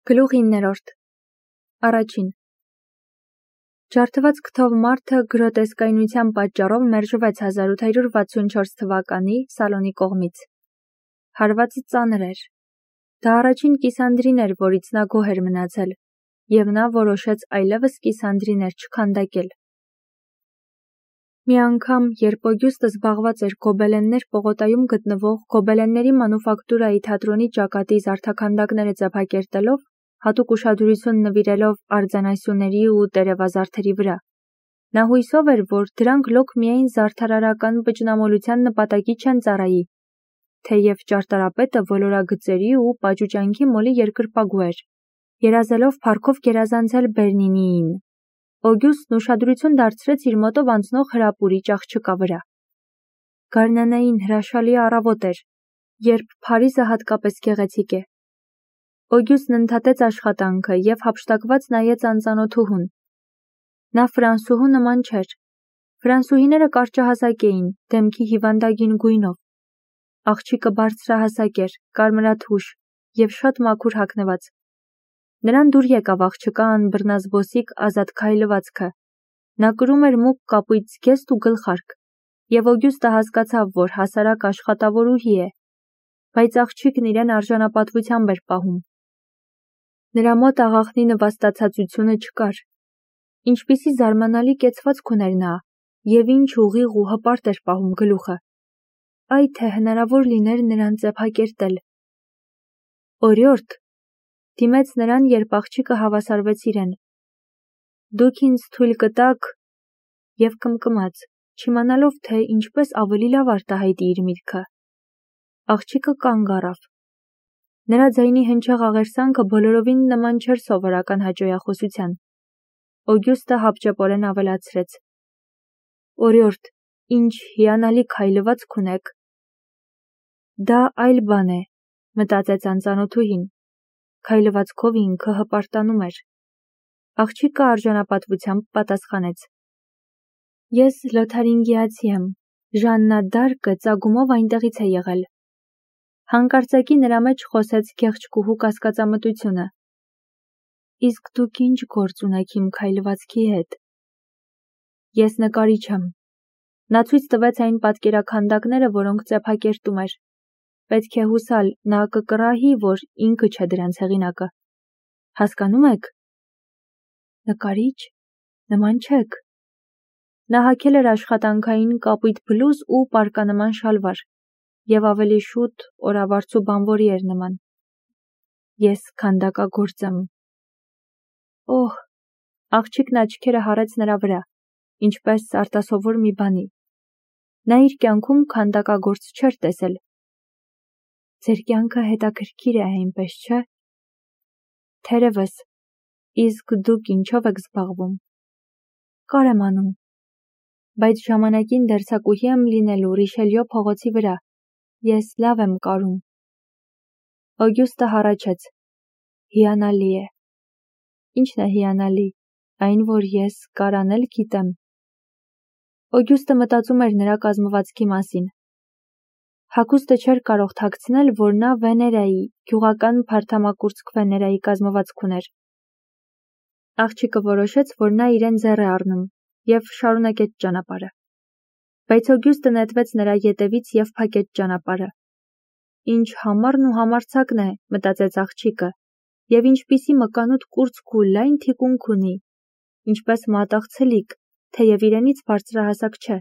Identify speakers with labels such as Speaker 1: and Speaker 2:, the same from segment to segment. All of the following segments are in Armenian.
Speaker 1: Գլուխ 9-րդ Առաջին Ջարդված քթով մարդը գրոտեսկայնության պատճառով մերժվեց 1864 թվականի Սալոնի կողմից։ Հարվածը ծանր էր։ Դա առաջին կիսանդրին էր, որից նա գոհ էր մնացել, և նա որոշեց այլևս կիսանդրիներ չքանդակել։ Մի անգամ, երբ Օգյուստը զբաղված էր Գոբելեններ պողոտայում գտնվող Գոբելենների մանուֆակտուրայի թատրոնի ճակատի զարդաքանդակները ձևակերտելով, հատուկ ուշադրություն նվիրելով արձանասյուների ու տերևազարդերի վրա, նա հույսով էր, որ դրանք լոկ միայն զարդարարական վճնամոլության նպատակի չեն ծառայի, թեև ճարտարապետը ոլորագծերի ու պաճուճանքի մոլի երկրպագու էր, երազելով փառքով գերազանցել Բեռնինիին։ Օգյուստն ուշադրություն դարձրեց իր մոտով անցնող հրապուրիչ աղջկա վրա։ Գարնանային հրաշալի առավոտ էր, երբ Փարիզը հատկապես գեղեցիկ է։ Օգյուստն ընդհատեց աշխատանքը և հափշտակված նայեց անծանոթուհուն։ Նա ֆրանսուհու նման չէր։ Ֆրանսուհիները կարճահասակ էին, դեմքի հիվանդագին գույնով։ Աղջիկը բարձրահասակ էր, կարմրաթուշ և շատ մաքուր հագնված։ Նրան դուր եկավ աղջկա անբռնազբոսիկ ազատ քայլվածքը։ Նա կրում էր մուգ կապույտ զգեստ ու գլխարկ, և Օգյուստը հասկացավ, որ հասարակ աշխատավորուհի է, բայց աղջիկն իրեն արժանապատվությամբ էր պահում։ Նրա մոտ աղախնի նվաստացածությունը չկար։ Ինչպիսի զարմանալի կեցվածք ուներ նա, և ինչ ուղիղ ու հպարտ էր պահում գլուխը։ Այ թե հնարավոր լիներ նրան ծեփակերտել։ Օրիորդ, դիմեց նրան, երբ աղջիկը հավասարվեց իրեն։ Դուք ինձ թույլ կտաք, և կմկմաց, չիմանալով, թե ինչպես ավելի լավ արտահայտի իր միտքը։ Աղջիկը կանգ առավ։ Նրա ձայնի հնչեղ աղերսանքը բոլորովին նման չէր սովորական հաճոյախոսության։ Օգյուստը հապճեպորեն ավելացրեց. Օրիորդ, ինչ հիանալի քայլվածք ունեք։ Դա այլ բան է, մտածեց անծանոթուհին։ Քայլվածքով ինքը հպարտանում էր։ Աղջիկը արժանապատվությամբ պատասխանեց. Ես լոթարինգիացի եմ, Ժաննա դարկը ծագումով այնտեղից է եղել։ Հանկարծակի նրա մեջ խոսեց գեղեցկուհու կասկածամտությունը։ Իսկ դուք ինչ գործ ունեք իմ քայլվածքի հետ։ Ես նկարիչ եմ։ Նա ցույց տվեց այն պատկերաքանդակները, որոնք ծեփակերտում էր։ Պետք է հուսալ, նա կկռահի, որ ինքը չէ դրանց հեղինակը։ Հասկանում եք։ Նկարիչ, նման չեք։ Նա հագել էր աշխատանքային կապույտ բլուզ ու պարկանման շալվար, և ավելի շուտ օրավարձու բանվորի էր նման։ Ես քանդակագործ եմ։ Օհ, աղջիկն աչքերը հառեց նրա վրա, ինչպես արտասովոր մի բանի։ Նա իր կյանքում քանդակագործ չէր տեսել։ Ձեր կյանքը հետաքրքիր է, այնպես չէ։ Թերևս, իսկ դուք ինչով եք զբաղվում։ Կար եմ անում, բայց ժամանակին դերձակուհի եմ լինելու Ռիշելյո փողոցի վրա։ Ես լավ եմ կարում։ Օգյուստը հառաչեց. Հիանալի է։ Ինչն է հիանալի, այն, որ ես կարանել գիտեմ։ Օգյուստը մտածում էր նրա կազմվածքի մասին։ Հագուստը չէր կարող թաքցնել, որ նա Վեներայի, գյուղական փարթամակուրծք Վեներայի կազմվածք ուներ։ Աղջիկը որոշեց, որ նա իրեն ձեռ է առնում, և շարունակեց ճանապարհը։ Բայց Օգյուստը նետվեց նրա ետևից և փակեց ճանապարհը։ Ինչ համառն ու համարձակն է, մտածեց աղջիկը, և ինչպիսի մկանուտ կուրծք ու լայն թիկունք ունի, ինչպես մատաղ ցլիկ, թեև իրենից բարձրահասակ չէ։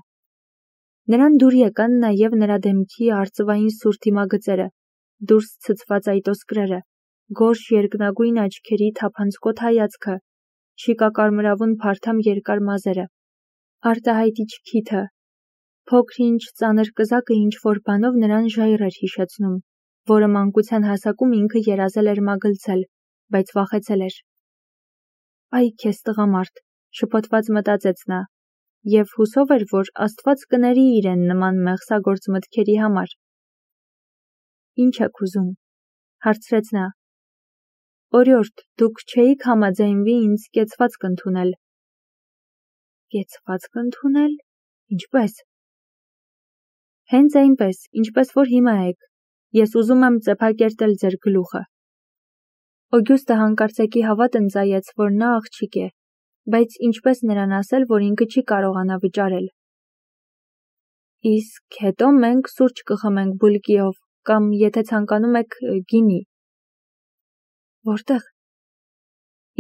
Speaker 1: Նրան դուր եկան նաև նրա դեմքի արծվային սուր դիմագծերը, դուրս ցցված այտոսկրերը, գորշ երկնագույն աչքերի թափանցկոտ հայացքը, շիկակարմրավուն փարթամ երկար մազերը, արտահայտիչ քիթը, փոքր-ինչ ծանր կզակը ինչ-որ բանով նրան ժայռ էր հիշեցնում, որը մանկության հասակում ինքը երազել էր մագլցել, բայց վախեցել էր։ Այ քեզ տղամարդ, շփոթված մտածեց նա, և հուսով էր, որ Աստված կների իրեն նման մեղսագործ մտքերի համար։ Ինչ եք ուզում, հարցրեց նա։ Օրիորդ, դուք չէիք համաձայնվի ինձ կեցվածք ընդունել։ Կեցվածք ընդունել։ Ինչպես։ Հենց այնպես, ինչպես որ հիմա եք։ Ես ուզում եմ ծեփակերտել ձեր գլուխը։ Օգյուստը հանկարծակի հավատ ընծայեց, որ նա աղջիկ է, բայց ինչպես նրան ասել, որ ինքը չի կարողանա վճարել։ Իսկ հետո մենք սուրճ կխմենք բուլկիով, կամ եթե ցանկանում եք գինի։ Որտեղ։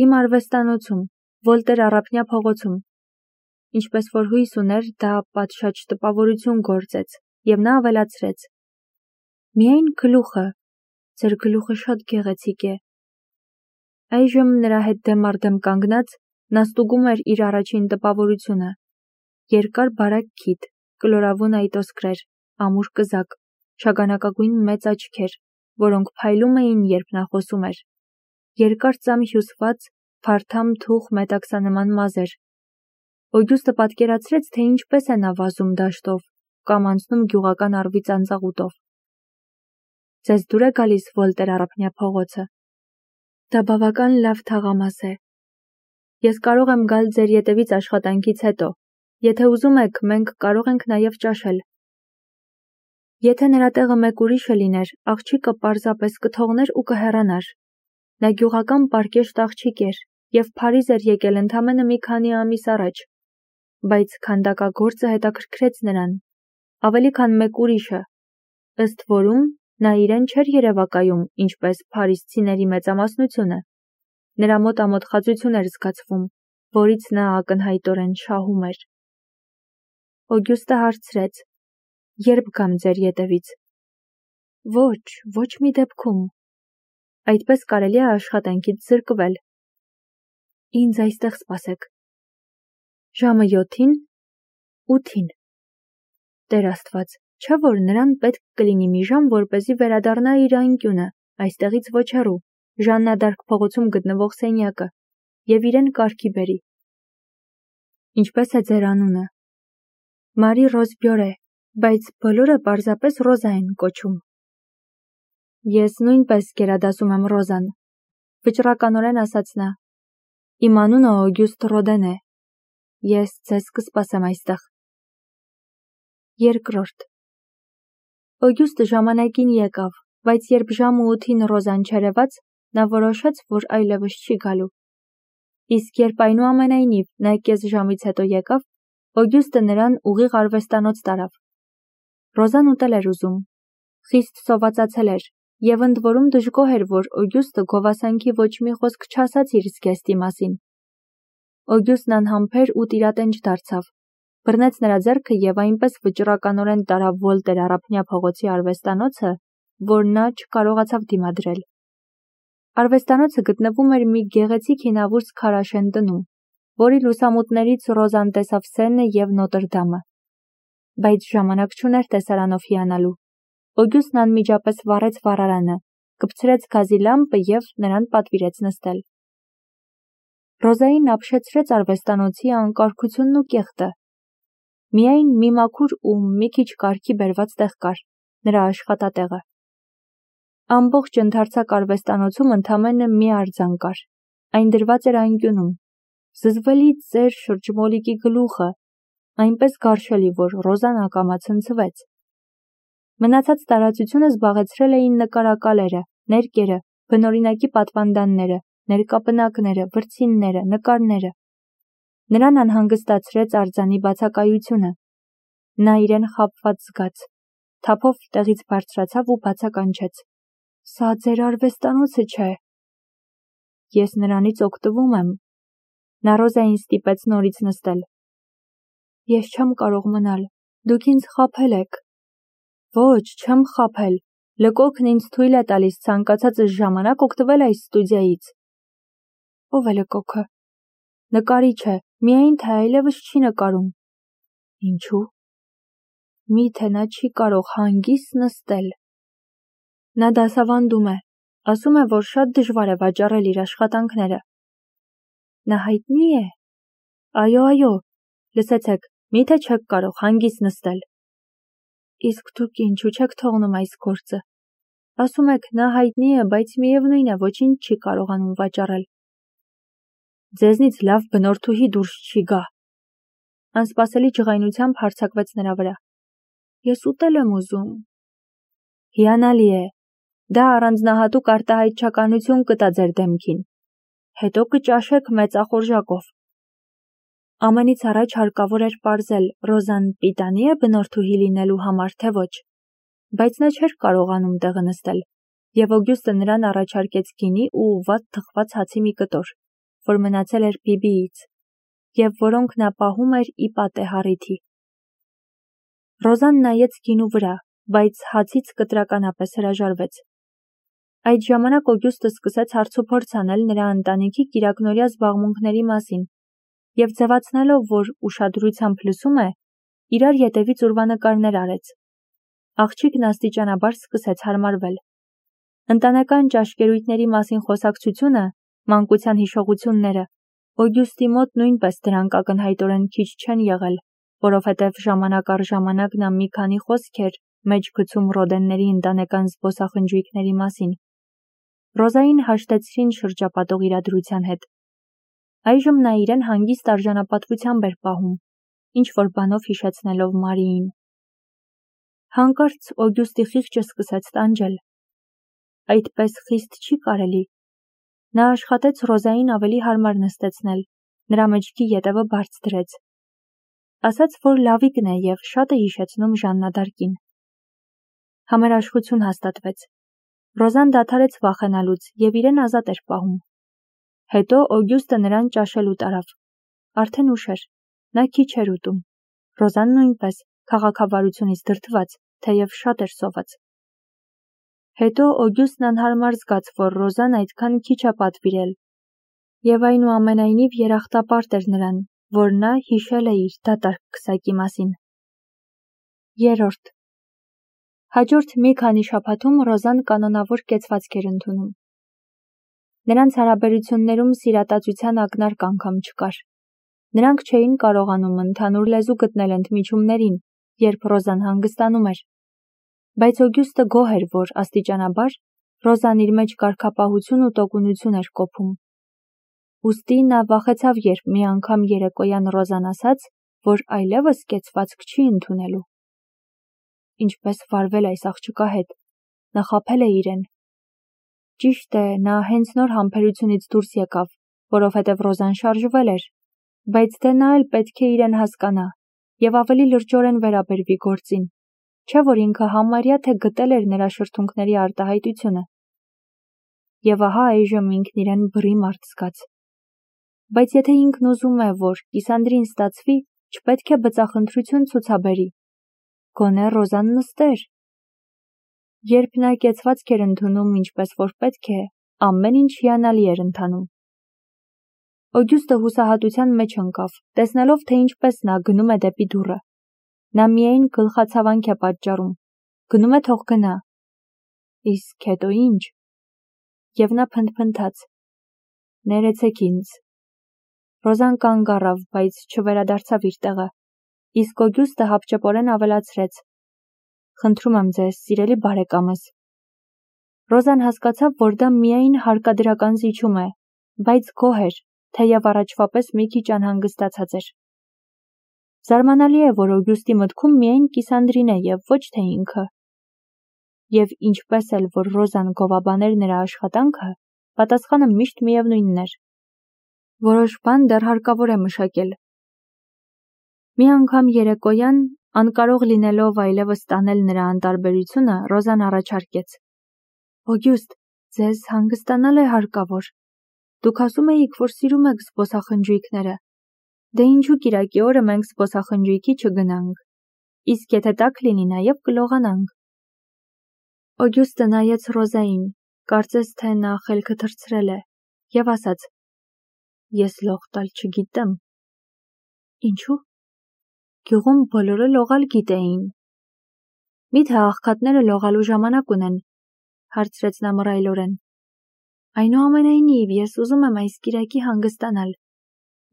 Speaker 1: Իմ արվեստանոցում, Վոլտեր Առափնյա փողոցում։ Ինչպես որ հույս ուներ, դա պատշաճ տպավորություն գործեց, եւ նա ավելացրեց. Միայն գլուխը, ձեր գլուխը շատ գեղեցիկ է։ Այժմ նրա հետ դեմ առ դեմ կանգնած, նա ստուգում էր իր առաջին տպավորությունը։ Երկար բարակ քիթ, կլորավուն այտոսկրեր, ամուր կզակ, շագանակագույն մեծ աչքեր, որոնք փայլում էին, երբ նա խոսում էր։ Երկար ծամ հյուսված, փարթամ թուխ մետաքսանման մազեր։ Օգյուստը պատկերացրեց, թե ինչպես է նա վազում դաշտով կամ անցնում գյուղական առվի ծանծաղուտով։ Ձեզ դուր է գալիս Վոլտեր Առափնյա փողոցը։ Դա բավական լավ թաղամաս է։ Ես կարող եմ գալ ձեր ետևից աշխատանքից հետո։ Եթե ուզում եք, մենք կարող ենք նաև ճաշել։ Եթե նրա տեղը մեկ ուրիշը լիներ, աղջիկը պարզապես կթողներ ու կհեռանար։ Նա գյուղական պարկեշտ աղջիկ էր եւ Փարիզ էր եկել ընդամենը մի քանի ամիս առաջ, բայց քանդակագործը հետաքրքրեց նրան, ավելի քան մեկ ուրիշը, ըստ որում նա իրեն չէր երևակայում, ինչպես փարիզցիների մեծամասնությունը։ Նրա մոտ ամոթխածություն էր զգացվում, որից նա ակնհայտորեն շահում էր։ Օգյուստը հարցրեց. Երբ գամ ձեր ետևից։ Ոչ մի դեպքում։ Այդպես կարելի է աշխատանքից զրկվել։ Ինձ այստեղ սպասեք։ Ժամը 7-ին, 8-ին։ Տեր Աստված, չէ՞ որ նրան պետք կլինի մի ժամ, որպեսզի վերադառնա իր անկյունը, այստեղից ոչ հեռու, Ժաննա դ'Արկ փողոցում գտնվող սենյակը, եւ իրեն կարգի բերի։ Ինչպես է ձեր անունը։ Մարի Ռոզ Բյորե, բայց բոլորը պարզապես Ռոզա են կոչում։ Ես նույնպես գերադասում եմ Ռոզան, վճռականորեն ասաց նա։ Իմ անունը Օգյուստ Ռոդեն է։ Ես ձեզ կսպասեմ այստեղ։ Երկրորդ։ Օգյուստը ժամանակին եկավ, բայց երբ ժամը 8-ին Ռոզան չերևաց, նա որոշեց, որ այլևս չի գալու։ Իսկ երբ այնուամենայնիվ նա կես ժամից հետո եկավ, Օգյուստը նրան ուղիղ արվեստանոց տարավ։ Ռոզան ուտել էր ուզում, խիստ սովածացել էր, եւ ընդ որում դժգոհ էր, որ Օգյուստը գովասանքի ոչ մի խոսք չասաց իր զգեստի մասին։ Օգյուստն անհամբեր ու տիրատենչ դարձավ, բռնեց նրա ձեռքը եւ այնպես վճռականորեն տարավ Վոլտեր Առափնյա փողոցի արվեստանոցը, որ նա չկարողացավ դիմադրել։ Արվեստանոցը գտնվում էր մի գեղեցիկ հինավուրց քարաշեն տնում, որի լուսամուտներից Ռոզան տեսավ Սենը եւ Նոտրդամը։ Բայց ժամանակ չուներ տեսարանով հիանալու։ Օգյուստն անմիջապես վառեց վառարանը, կպցրեց գազի լամպը եւ նրան պատվիրեց նստել։ Ռոզային ապշեցրեց արվեստանոցի անկարգությունն ու կեղտը։ Միայն մի մաքուր ու մի քիչ կարգի բերված տեղ կար, նրա աշխատատեղը։ Ամբողջ ընդարձակ արվեստանոցում ընդամենը մի արձան կար, այն դրված էր անկյունում, զզվելի ծեր շրջմոլիկի գլուխը, այնպես գարշելի, որ Ռոզան ակամա ցնցվեց։ Մնացած տարածությունը զբաղեցրել էին նկարակալերը, ներկերը, բնօրինակի պատվանդանները, ներկապնակները, վրձինները, նկարները։ Նրան անհանգստացրեց արձանի բացակայությունը։ Նա իրեն խաբված զգաց, թափով տեղից բարձրացավ ու բացականչեց. Սա ձեր արվեստանոցը չէ։ Ես նրանից օգտվում եմ։ Նա Ռոզային ստիպեց նորից նստել։ Ես չեմ կարող մնալ, դուք ինձ խաբել եք։ Ոչ, չեմ խաբել, լկոքն ինձ թույլ է տալիս ցանկացած ժամանակ օգտվել այս ստուդիայից։ Ո՞վ է լկոքը։ Նկարիչը, միայն թե այլևս չի նկարում։ Ինչու։ Միթե նա չի կարող հանգիստ նստել։ Նա դասավանդում է, ասում է, որ շատ դժվար է վաճառել իր աշխատանքները։ Նա հայտնի է։ Այո, լսեցեք, միթե չեք կարող հանգիստ նստել։ Իսկ դուք ինչու չեք թողնում այս գործը։ Ասում եք, նա հայտնի է, բայց միևնույն է, ոչինչ չի կարողանում վաճառել։ Ձեզնից լավ բնորդուհի դուրս չի գա։ Անսպասելի ջղայնությամբ հարձակվեց նրա վրա։ Ես ուտել եմ ուզում։ Հիանալի է։ Դա առանձնահատուկ արտահայտչականություն կտա ձեր դեմքին։ Հետո կճաշեք մեծախորժակով։ Ամենից առաջ հարկավոր էր պարզել Ռոզան պիտանի է բնորդուհի լինելու համար, թե ոչ, բայց նա չէր կարողանում տեղը նստել, և Օգյուստը նրան առաջարկեց գինի ու ուղղված թխված հացի մի կտոր, որ մնացել էր Բիբիից, և որոնք նա պահում էր ի պատեհառիթի։ Ռոզան նայեց գինու վրա, բայց հացից կտրականապես հրաժարվեց։ Այդ ժամանակ Օգյուստը սկսեց հարցուփորձ անել նրա ընտանիքի կիրակնօրյա զբաղմունքների մասին, և ձևացնելով, որ ուշադրությամբ լսում է, իրար ետևից ուրվանկարներ արեց։ Աղջիկն աստիճանաբար սկսեց հարմարվել։ Ընտանեկան ճաշկերույթների մասին խոսակցությունը, մանկության հիշողությունները, Օգյուստի մոտ նույնպես դրանք ակնհայտորեն քիչ չեն եղել, որովհետև ժամանակ առ ժամանակ նա մի քանի խոսք էր մեջ գցում Ռոդենների ընտանեկան զբոսախնջույքների մասին։ Ռոզային հաշտեցրին շրջապատող իրադրության հետ։ Այժմ նա իրեն հանգիստ արժանապատվությամբ էր պահում, ինչ-որ բանով հիշեցնելով Մարիին։ Հանկարծ Օգյուստի խիղճը սկսեց տանջել։ Այդպես խիստ չի կարելի։ Նա աշխատեց Ռոզային ավելի հարմար նստեցնել, նրա մեջքի ետևը բարձ դրեց։ Ասաց, որ լավիկն է և շատ է հիշեցնում Ժաննա դ'Արկին։ Համերաշխություն հաստատվեց։ Ռոզան դադարեց վախենալուց և իրեն ազատ էր պահում։ Հետո Օգյուստը նրան ճաշելու տարավ։ Արդեն ուշ էր, նա քիչ էր ուտում։ Ռոզան նույնպես, քաղաքավարությունից դրդված, թեև շատ էր սոված։ Հետո Օգյուստն անհարմար զգաց, որ Ռոզան այդքան քիչ է պատվիրել, և այնուամենայնիվ երախտապարտ էր նրան, որ նա հիշել է իր դատարկ քսակի մասին։ 3. Հաջորդ մի քանի շաբաթում Ռոզան կանոնավոր կեցվածք էր ընդունում։ Նրանց հարաբերություններում սիրատացության ակնարկ անգամ չկար։ Նրանք չէին կարողանում ընդհանուր լեզու գտնել ընդմիջումներին, երբ Ռոզան հանգստանում էր։ Բայց Օգյուստը գոհ էր, որ աստիճանաբար Ռոզան իր մեջ կարգապահություն ու տոկունություն էր կոփում։ Ուստի նա վախեցավ, երբ մի անգամ երեկոյան Ռոզան ասաց, որ այլևս կեցվածք չի ընդունելու։ Ինչպես վարվել այս աղջկա հետ, նա խաբել է իրեն։ Ճիշտ է, նա հենց նոր համբերությունից դուրս եկավ, որովհետև Ռոզան շարժվել էր, բայց դե նա էլ պետք է իրեն հասկանա և ավելի լրջորեն վերաբերվի գործին, չէ՞ որ ինքը համարյա թե գտել էր նրա շրթունքների արտահայտությունը։ Եվ ահա այժմ ինքն իրեն բռի մարդ զգաց։ Բայց եթե ինքն ուզում է, որ Կիսանդրին ստացվի, չպետք է բծախնդրություն ցուցաբերի։ Գոնե Ռոզան նստեր։ Երբ նա կեցվածք էր ընդունում ինչպես որ պետք է, ամեն ինչ հիանալի էր ընթանում։ Օգյուստը հուսահատության մեջ ընկավ, տեսնելով, թե ինչպես նա գնում է դեպի դուռը։ Նա միայն գլխացավանք է պատճառում։ Գնում է, թող գնա։ Իսկ հետո ինչ։ Եվ նա փնթփնթաց. Ներեցեք ինձ։ Ռոզան կանգ առավ, բայց չվերադարձավ իր տեղը, իսկ Օգյուստը հապճեպորեն ավելացրեց. Խնդրում եմ ձեզ, սիրելի բարեկամս։ Ռոզան հասկացավ, որ դա միայն հարկադրական զիջում է, բայց գոհ էր, թեև առաջվա պես մի քիչ անհանգստացած էր։ Զարմանալի է, որ Օգյուստի մտքում միայն Կիսանդրին է և ոչ թե ինքը։ Եվ ինչպես էլ որ Ռոզան գովաբաներ նրա աշխատանքը, պատասխանը միշտ միևնույնն էր։ Որոշ բան դեռ հարկավոր է մշակել։ Մի անգամ երեկոյան, անկարող լինելով այլևս տանել նրա անտարբերությունը, Ռոզան առաջարկեց. Օգյուստ, ձեզ հանգստանալ է հարկավոր։ Դուք ասում էիք, որ սիրում եք զբոսախնջույքները։ Դե ինչու կիրակի օրը մենք զբոսախնջույքի չգնանք։ Իսկ եթե տաք լինի, նաև կլողանանք։ Օգյուստը նայեց Ռոզային, կարծես թե նա խելքը թռցրել է, և ասաց. Ես լող տալ չգիտեմ։ Ինչու՞։ Գյուղում բոլորը լողալ գիտեին։ Մի՞թե աղքատները լողալու ժամանակ ունեն, հարցրեց նա մռայլորեն։ Այնուամենայնիվ, ես ուզում եմ այս կիրակի հանգստանալ։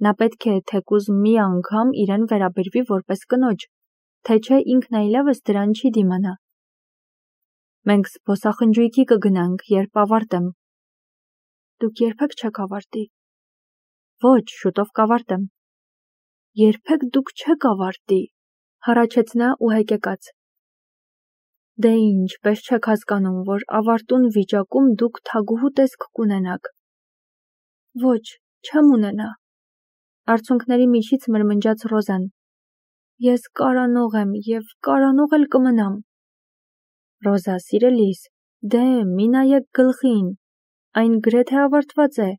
Speaker 1: Նա պետք է թեկուզ մի անգամ իրեն վերաբերվի որպես կնոջ, թե չէ ինքն այլևս դրան չի դիմանա։ Մենք զբոսախնջույքի կգնանք, երբ ավարտեմ։ Դուք երբեք չեք ավարտի։ Ոչ, շուտով կավարտեմ։ Երբեք դուք չեք ավարտի, հառաչեց նա ու հեկեկաց։ Դե ինչպես չեք հասկանում, որ ավարտուն վիճակում դուք թագուհու տեսք կունենաք։ Ոչ, չեմ ունենա։ Արցունքների միջից մրմնջաց Ռոզան։ Ես կարանող եմ և կարանող էլ կմնամ։ Ռոզա, սիրելիս, դե մի նայեք գլխին, այն գրեթե ավարտված է։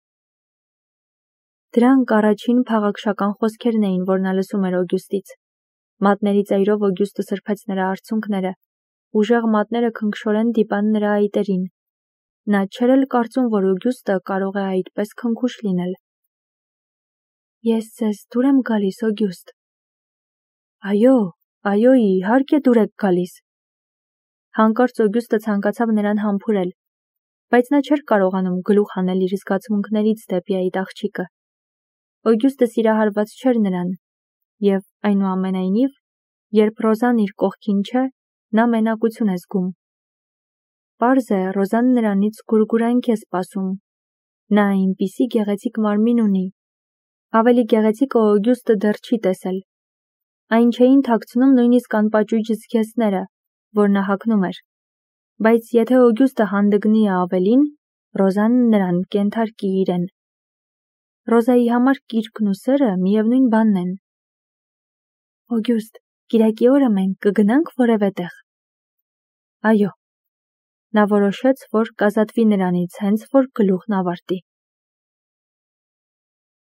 Speaker 1: Դրանք առաջին փաղաքշական խոսքերն էին, որ նա լսում էր Օգյուստից։ Մատների ծայրով Օգյուստը սրբեց նրա արցունքները, ուժեղ մատները քնքշորեն դիպան նրա այտերին։ Նա չէր էլ կարծում, որ Օգյուստը կարող է այդպես քնքուշ լինել։ Ես ձեզ դուր եմ գալիս, Օգյուստ։ Այո, իհարկե դուր եք գալիս։ Հանկարծ Օգյուստը ցանկացավ նրան համբուրել, բայց նա չէր կարողանում գլուխ հանել իր զգացմունքներից դեպի այդ աղջիկը։ Օգյուստը սիրահարված չէր նրան, և այնուամենայնիվ, երբ Ռոզան իր կողքին չէ, նա մենակություն է զգում։ Պարզ է, Ռոզան նրանից գուրգուրանք է սպասում։ Նա այնպիսի գեղեցիկ մարմին ունի։ Ավելի գեղեցիկը Օգյուստը դեռ չի տեսել։ Այն չէին թաքցնում նույնիսկ անպաճույճ զգեստները, որ նա հագնում էր։ Բայց եթե Օգյուստը հանդգնի ավելին, Ռոզան նրան կենթարկի իրեն։ Ռոզայի համար կիրքն ու սերը միևնույն բանն են։ Օգյուստ, կիրակի օրը մենք կգնանք որևէ տեղ։ Այո։ Նա որոշեց, որ կազատվի նրանից, հենց որ գլուխն ավարտի։